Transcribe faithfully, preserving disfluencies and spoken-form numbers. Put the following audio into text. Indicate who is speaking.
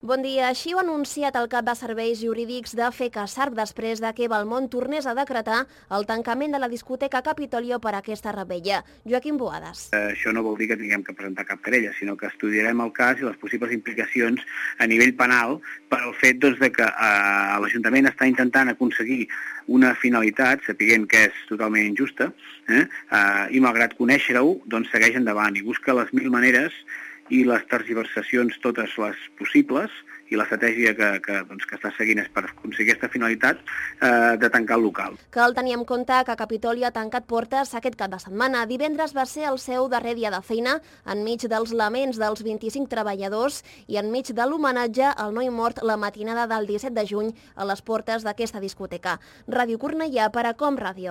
Speaker 1: Bon dia. Així ho ha anunciat el cap de serveis jurídics de FECASARB després de que Belmont tornés a decretar el tancament de la discoteca Capitolio per a aquesta revetlla. Joaquim Boades.
Speaker 2: Eh, això no vol dir que tinguem que presentar cap querella, sinó que estudiarem el cas i les possibles implicacions a nivell penal per al fet doncs, de que eh, l'Ajuntament està intentant aconseguir una finalitat, sapiguent que és totalment injusta, eh, eh, i malgrat conèixer-ho, doncs segueix endavant i busca les mil maneres i les tergiversacions totes les possibles i l'estratègia que, que, doncs, que està seguint és per aconseguir aquesta finalitat eh, de tancar el local.
Speaker 1: Cal tenir en compte que Capitolio ha tancat portes aquest cap de setmana. Divendres va ser el seu darrer dia de feina enmig dels laments dels vint-i-cinc treballadors i enmig de l'homenatge al noi mort la matinada del disset de juny a les portes d'aquesta discoteca. Ràdio Cornellà per a Com Ràdio.